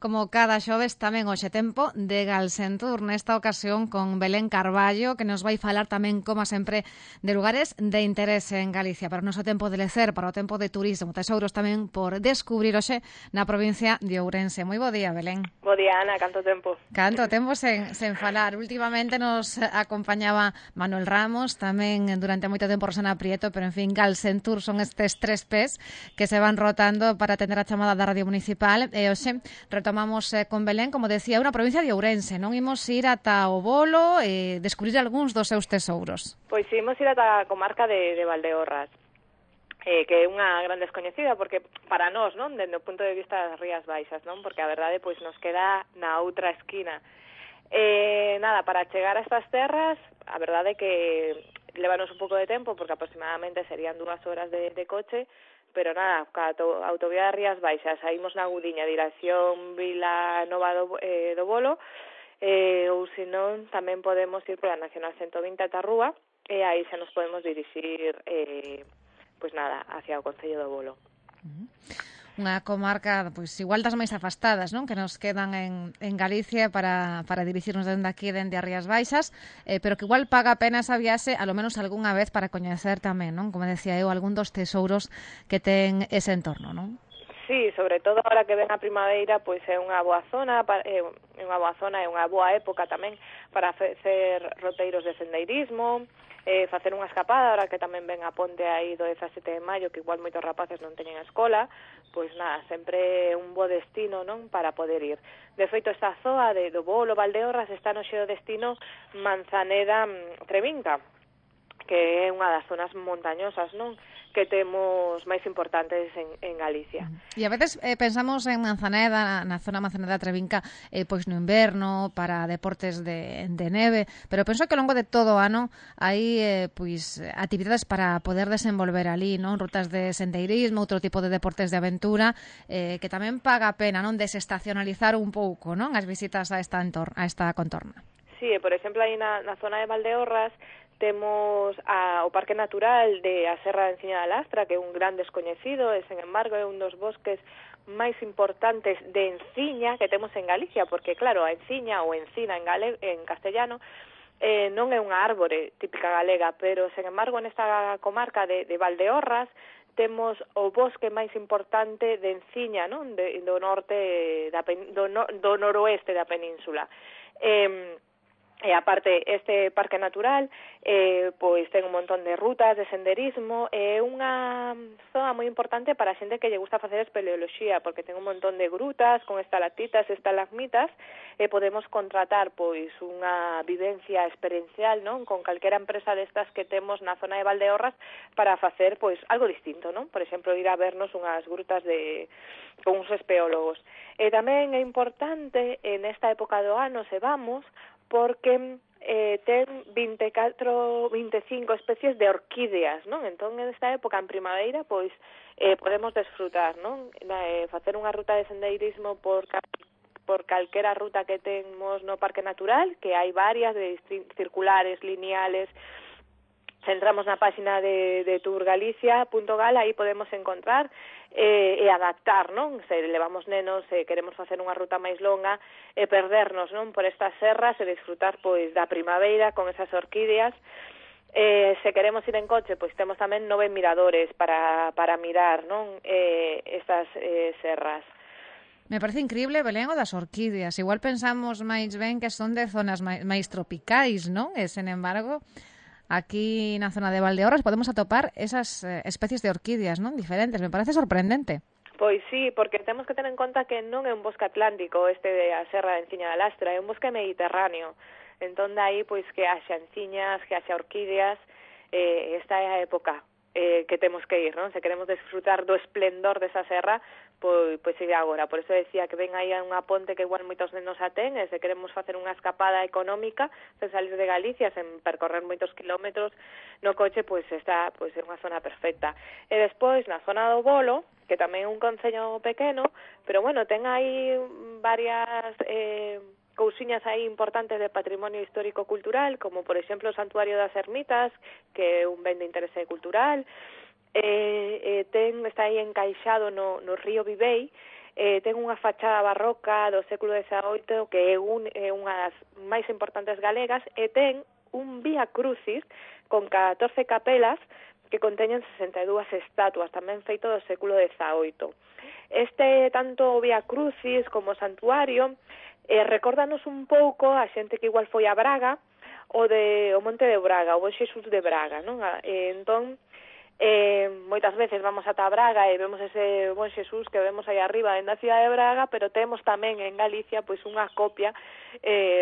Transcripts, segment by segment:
Como cada xoves tamén hoxe tempo de Galsentur, nesta ocasión con Belén Carballo, que nos vai falar tamén, como sempre, de lugares de interese en Galicia, para o noso tempo de lecer, para o tempo de turismo, tesouros tamén por descubrir hoxe na provincia de Ourense. Moi bo día, Belén. Bo día, Ana, canto tempo? Canto tempo sen falar. Últimamente nos acompañaba Manuel Ramos, tamén durante moito tempo Rosana Prieto, pero en fin, Galsentur son estes 3 P's que se van rotando para atender a chamada da Radio Municipal. E hoxe retomamos con Belén, como decía, unha provincia de Ourense. Non imos ir ata o Bolo e descubrir algúns dos seus tesouros. Pois imos ir ata a comarca de Valdeorras, que é unha gran descoñecida, porque para nós, non, dende o punto de vista das Rías Baixas, non, porque a verdade pois nos queda na outra esquina. Nada, para chegar a estas terras, a verdade é que levanos un pouco de tempo, porque aproximadamente serían 2 horas de coche, pero nada, ca autovía das Rías Baixas, saímos na Gudiña, dirección Vila Nova do Bolo, ou senón tamén podemos ir pola Nacional 120 ata Rúa, e aí xa nos podemos dirixir, pois nada, hacia o Concello do Bolo. Unha comarca, pois igual das máis afastadas, non? Que nos quedan en Galicia para dirixirnos dende aquí, dende as Rías Baixas, pero que igual paga a pena esa viaxe, a lo menos algunha vez, para coñecer tamén, non? Como decía eu, algún dos tesouros que ten ese entorno, non? Sí, sobre todo agora que ven a primavera, pois é unha boa zona, é unha boa época tamén para facer roteiros de sendeirismo, facer unha escapada, ahora que tamén ven a ponte aí do 17 de maio, que igual moitos rapaces non teñen a escola, pois nada, sempre un bo destino, non, para poder ir. De feito, esta zoa do Bolo, Valdeorras, está no xeo destino Manzaneda-Trevinca, que é unha das zonas montañosas, non, que temos máis importantes en Galicia. E a veces pensamos en Manzaneda, na zona Manzaneda-Trevinca, pois no inverno, para deportes de neve, pero penso que ao longo de todo o ano hai pois actividades para poder desenvolver ali, non? Rutas de sendeirismo, outro tipo de deportes de aventura, que tamén paga a pena, non, desestacionalizar un pouco, non, as visitas a esta contorna. Sí, por exemplo, aí na zona de Valdeorras temos o Parque Natural de a Serra de Enciña da Lastra, que é un gran descoñecido, e, sen embargo, é un dos bosques máis importantes de enciña que temos en Galicia, porque, claro, a enciña ou encina en castellano non é unha árbore típica galega, pero, sen embargo, nesta comarca de Valdeorras temos o bosque máis importante de enciña, non? Do norte do noroeste da península. E aparte, este parque natural pois ten un montón de rutas de senderismo, é unha zona moi importante para a xente que lle gusta facer espeleoloxía, porque ten un montón de grutas con estalactitas e estalagmitas, e podemos contratar pois unha vivencia experiencial, non, con calquera empresa destas que temos na zona de Valdeorras para facer pois algo distinto, non? Por exemplo, ir a vernos unhas grutas con uns espeólogos. E tamén é importante en esta época do ano, se vamos, porque ten 25 especies de orquídeas, non? Entón, en esta época, en primavera, pois podemos desfrutar, non? Facer unha ruta de sendeirismo por calquera ruta que temos no Parque Natural, que hai varias, de circulares, lineales. Se entramos na página de tourgalicia.gal, aí podemos encontrar e adaptar, non? Se levamos nenos e queremos facer unha ruta máis longa e perdernos, non, por estas serras e disfrutar pois da primavera con esas orquídeas. Se queremos ir en coche, pois temos tamén 9 miradores para mirar, non, estas serras. Me parece increíble, Belén, o das orquídeas. Igual pensamos máis ben que son de zonas máis tropicais, non? E, sen embargo, aquí na zona de Valdeorras podemos atopar esas especies de orquídeas, non, diferentes. Me parece sorprendente. Pois sí, porque temos que ter en conta que non é un bosque atlántico este de a Serra de Enciña da Lastra, é un bosque mediterráneo. Entón, aí, pois, que haxa enciñas, que haxa orquídeas, esta é a época que temos que ir, non? Se queremos desfrutar do esplendor desa serra, pois é agora. Por eso decía que ven aí a unha ponte que igual moitos nenos a ten, e se queremos facer unha escapada económica, sen salir de Galicia, sen percorrer moitos kilómetros no coche, pois esta pois é unha zona perfecta. E despois, na zona do Bolo, que tamén é un concello pequeno, pero bueno, ten aí varias cousiñas aí importantes de patrimonio histórico-cultural, como por exemplo o Santuario das Ermitas, que é un ben de interese cultural, está aí encaixado no río Vivei, ten unha fachada barroca do século XVIII que é unha das máis importantes galegas e ten un Vía Crucis con 14 capelas que conteñen 62 estatuas, tamén feito do século XVIII. Tanto o Vía Crucis como o santuario recórdanos un pouco a xente que igual foi a Braga, o Monte de Braga, o Bon Xesús de Braga, non? Entón, moitas veces vamos ata Braga e vemos ese Bon Xesús que vemos aí arriba na cidade de Braga, pero temos tamén en Galicia pois unha copia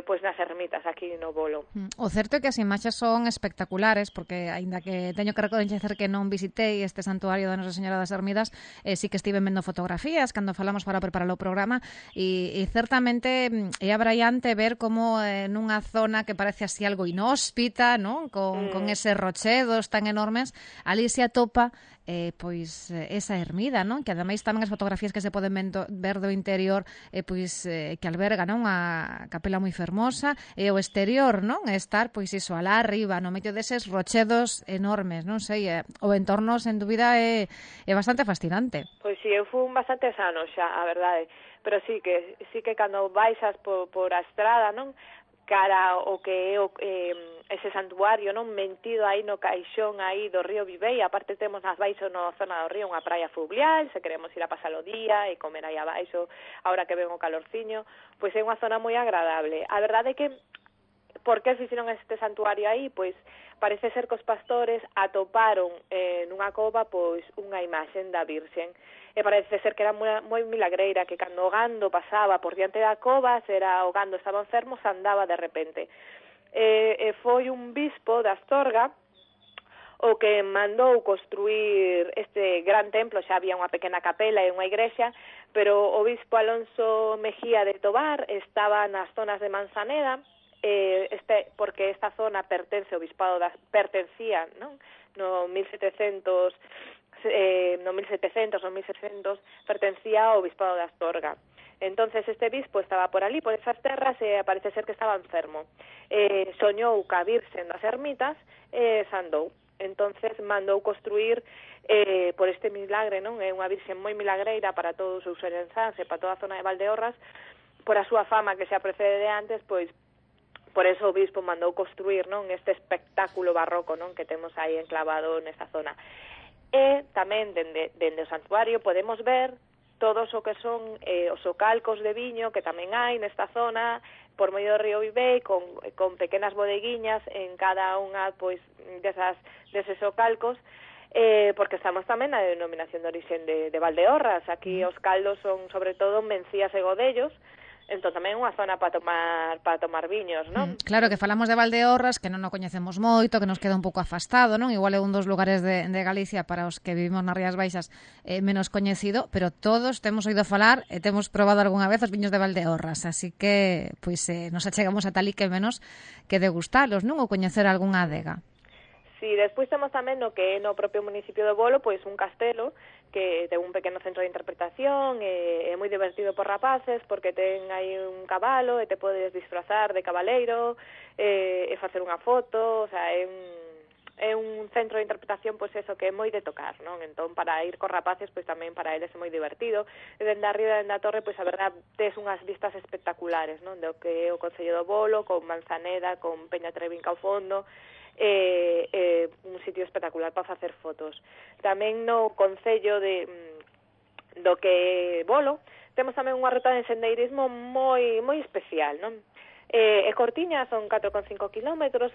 pois nas ermitas aquí no Bolo. O certo é que as imaxes son espectaculares, porque aínda que teño que recoñecer que non visitei este santuario da Nosa Señora das Ermidas, sí que estive vendo fotografías cando falamos para preparar o programa e certamente é abraiante ver como nunha zona que parece así algo inhóspita, non? Con eses rochedos tan enormes, ali se atopa pois esa ermida, non? Que ademais tamén as fotografías que se poden ver do interior que alberga, non? A capela moi fermosa e o exterior, non? Estar pois iso alá arriba, no medio deses rochedos enormes, non sei, o entorno sen dúbida é bastante fascinante. Pois si, eu fui bastantes anos xa, a verdade, pero sí que cando baixas por a estrada, non? Cara o que é ese santuario, non, mentido aí no caixón aí do río Vivei, aparte temos nas baixo na zona do río unha praia fluvial, se queremos ir a pasar o día e comer aí abaixo, ahora que ven o calorciño, pois é unha zona moi agradable. A verdade é que por que fixeron este santuario aí? Pois parece ser que os pastores atoparon nunha cova pois unha imaxen da Virxen e parece ser que era moi milagreira, que cando o gando pasaba por diante da cova, se era o gando estaba enfermo, se andaba de repente. Foi un bispo de Astorga o que mandou construir este gran templo, xa había unha pequena capela e unha igrexa, pero o bispo Alonso Mejía de Tobar estaba nas zonas de Manzaneda, porque esta zona pertence ao bispado pertencía, non? No 1700 no 1600 pertencía ao bispado de Astorga. Entonces este bispo estaba por ali, por esas terras, e parece ser que estaba enfermo. Soñou ca Virxen das Ermitas e sandou. Entonces mandou construir por este milagre, non? É unha Virxen moi milagreira para todos os ourensáns e para toda a zona de Valdeorras, por a súa fama que xa precede de antes, pois por eso o bispo mandou construir, non, este espectáculo barroco, non, que temos aí enclavado nesta zona. E tamén dende o santuario podemos ver todos o que son os ocalcos de viño que tamén hai nesta zona por medio do río Vivei con pequenas bodeguiñas en cada unha pois deses ocalcos, porque estamos tamén na denominación de orixen de Valdeorras. Aquí os caldos son sobre todo Mencías e Godellos. Entón tamén é unha zona para tomar viños, non? Claro que falamos de Valdeorras, que non o coñecemos moito, que nos queda un pouco afastado, non? Igual é un dos lugares de Galicia para os que vivimos nas Rías Baixas menos coñecido, pero todos temos oído falar e temos probado algunha vez os viños de Valdeorras, así que pois nos achegamos a tal e que menos que degustalos, non? Ou coñecer algunha adega. Sí, despois temos tamén no que é no propio municipio do Bolo, pois un castelo que ten un pequeno centro de interpretación, é moi divertido por rapaces porque ten aí un cabalo e te podes disfrazar de cabaleiro e facer unha foto, o sea, é un centro de interpretación pois eso que é moi de tocar, non? Entón para ir cos rapaces pois tamén para eles é moi divertido. E dende arriba dende a torre pois a verdad tes unhas vistas espectaculares, non? Do que é o Concello do Bolo, con Manzaneda, con Peña Trevinca ao fondo. Un sitio espectacular para facer fotos. Tamén no Concello do que Bolo temos tamén unha ruta de sendeirismo moi especial, non? É cortiña, son 4,5 kilómetros,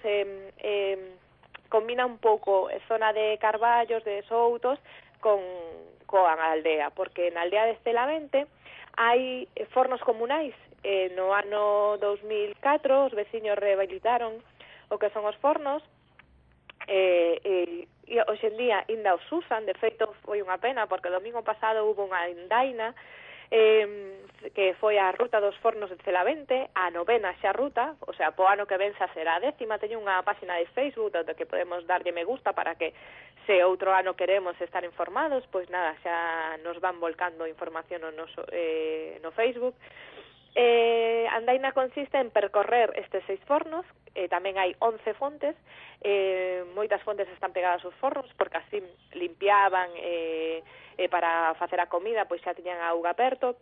combina un pouco zona de carballos, de soutos coa aldea, porque na aldea de Estelavente hai fornos comunais. No ano 2004 os veciños rehabilitaron o que son os fornos e hoxe en día ainda os usan. De feito foi unha pena porque o domingo pasado hubo unha andaina que foi a ruta dos fornos de Celavente, a 9ª xa ruta, o sea, po ano que ven xa será a 10ª. Teño unha página de Facebook onde que podemos darlle me gusta para que se outro ano queremos estar informados, pois nada, xa nos van volcando información no Facebook. Andaina consiste en percorrer estes 6 fornos, tamén hai 11 fontes, moitas fontes están pegadas aos fornos porque así limpiaban para facer a comida, pois xa tiñan a auga perto.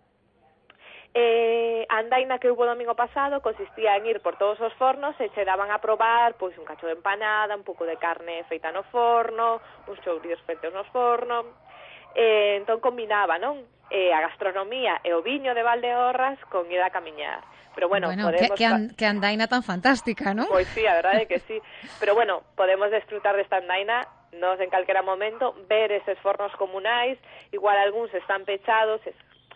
andaina que hubo domingo pasado consistía en ir por todos os fornos e che daban a probar pois un cacho de empanada, un pouco de carne feita no forno, uns chourios feitos no forno. Entón combinaba, non? A gastronomía e o viño de Valdeorras con ir a camiñar. Pero bueno, podemos... que andaina tan fantástica, non? Pois sí, a verdade é que sí. Pero bueno, podemos desfrutar desta andaina nos en calquera momento, ver eses fornos comunais, igual algúns están pechados,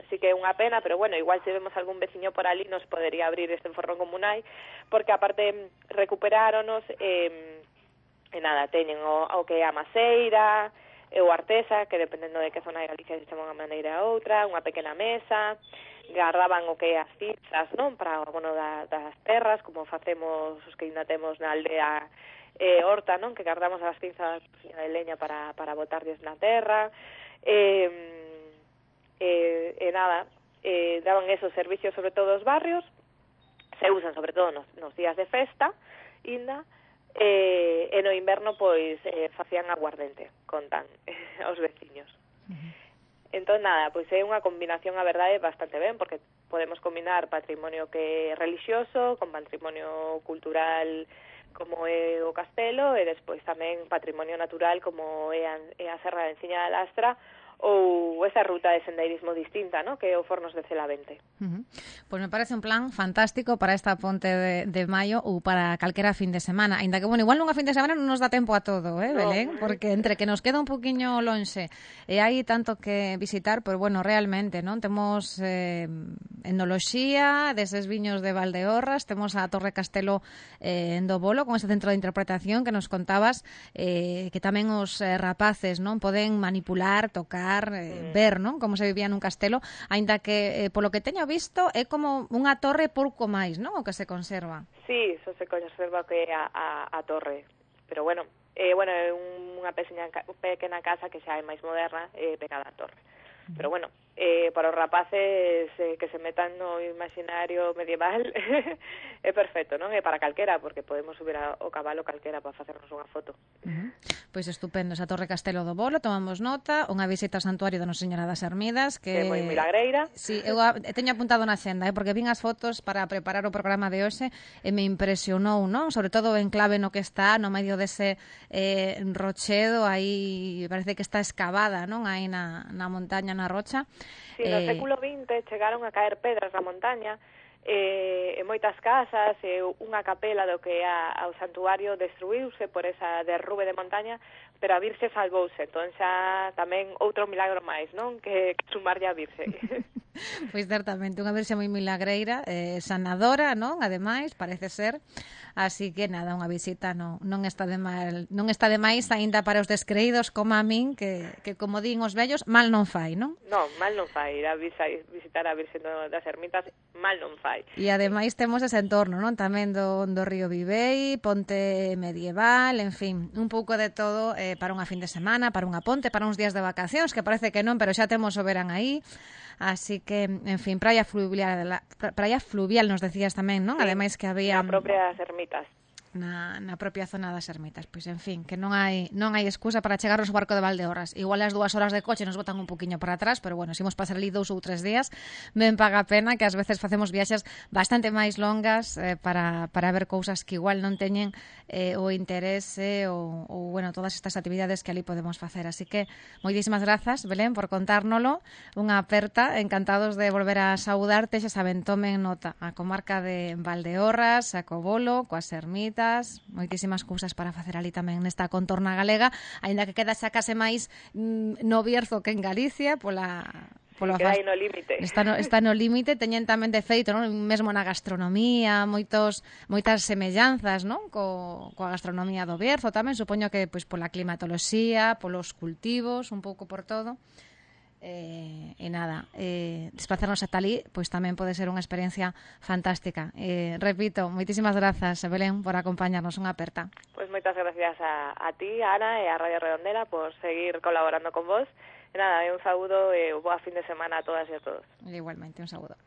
sí que é unha pena, pero bueno, igual se vemos algún veciño por ali nos podería abrir este forno comunai, porque aparte recuperáronos e nada, teñen o que é a maceira, e o artesa, que dependendo de que zona de Galicia se chama unha maneira a outra, unha pequena mesa, guardaban o que é as pizzas, non, para, bueno, das terras, como facemos os que ainda temos na aldea Horta, non, que guardamos as pinzas de leña para botarlles na terra, nada, daban esos servicios sobre todo os barrios, se usan sobre todo nos días de festa, ainda, e no inverno pois facían aguardente, contan aos veciños. Entón nada, pois é unha combinación, a verdade, bastante ben, porque podemos combinar patrimonio que é religioso con patrimonio cultural como é o castelo e despois tamén patrimonio natural como é a Serra de Enciña da Lastra ou esa ruta de sendeirismo distinta, ¿no?, que é o Fornos de Celavente. Pois me parece un plan fantástico para esta ponte de maio ou para calquera fin de semana, ainda que, bueno, igual nunha fin de semana non nos dá tempo a todo, Belén? Porque entre que nos queda un poquinho lonxe e hai tanto que visitar, pois, bueno, realmente, non? Temos etnoloxía deses viños de Valdeorras, temos a Torre Castelo en do Bolo, con ese centro de interpretación que nos contabas, que tamén os rapaces, non, poden manipular, tocar, ver, non, como se vivía nun castelo, aínda que polo que teño visto é como unha torre pouco máis, non, o que se conserva. Sí, eso se conserva que é a torre, pero bueno, é unha pequena casa que xa é máis moderna, pegada á torre. Pero bueno, para os rapaces que se metan no imaginario medieval é perfecto, non? É para calquera, porque podemos subir ao cabalo calquera para facernos unha foto. Pois estupendo, esa Torre Castelo do Bolo, tomamos nota, unha visita ao santuario da Nosa Señora das Ermidas, que é moi milagreira. Sí, eu teño apuntado na xenda, porque vin as fotos para preparar o programa de hoxe e me impresionou, non? Sobre todo o enclave no que está, no medio dese rochedo, aí parece que está excavada, non? Aí na montaña, na rocha. Sí, no século XX chegaron a caer pedras na montaña, e moitas casas e unha capela do que é ao santuario destruíuse por esa derrube de montaña, pero a Virxe salvouse, entón xa tamén outro milagro máis, non? Que sumarlle a Virxe. Pois certamente, unha Virxe moi milagreira, sanadora, non? Ademais, parece ser. Así que nada, unha visita non está de máis aínda para os descreídos como a min, que como din os vellos, mal non fai, non? Non, mal non fai, ir a visitar a Virxe das Ermitas, mal non fai. E ademais temos ese entorno, non? Tamén do río Vivei, ponte medieval, en fin, un pouco de todo para unha fin de semana, para unha ponte, para uns días de vacacións, que parece que non, pero xa temos o verán aí. Así que, en fin, praia fluvial nos decías tamén, non? Sí, ademais que había na propia Ermitas. Na propia zona das Ermitas. Pois, en fin, que non hai excusa para chegar ao barco de Valdeorras. Igual as 2 horas de coche nos botan un poquinho para atrás, pero bueno, se imos pasar ali 2 ou 3 días, ben paga a pena, que ás veces facemos viaxes bastante máis longas para ver cousas que igual non teñen o interese ou bueno, todas estas actividades que ali podemos facer. Así que, moitísimas grazas, Belén, por contárnolo. Unha aperta, encantados de volver a saudarte, xa saben, tomen nota a comarca de Valdeorras, a Cobolo, coas Ermitas, moitísimas cousas para facer ali tamén nesta contorna galega, aínda que queda xa case máis no Bierzo que en Galicia, queda aí no límite. Está no límite, teñen tamén de feito, non? Mesmo na gastronomía, moitas semellanzas, non? Coa gastronomía do Bierzo tamén, supoño que pois pola climatoloxía, polos cultivos, un pouco por todo. E nada, desplazarnos ata ali pois tamén pode ser unha experiencia fantástica. Repito, moitísimas grazas, Belén, por acompañarnos, unha aperta. Pois moitas gracias a ti, Ana, e a Radio Redondela por seguir colaborando con vos. E nada, un saúdo e boa fin de semana a todas e a todos. Igualmente, un saúdo.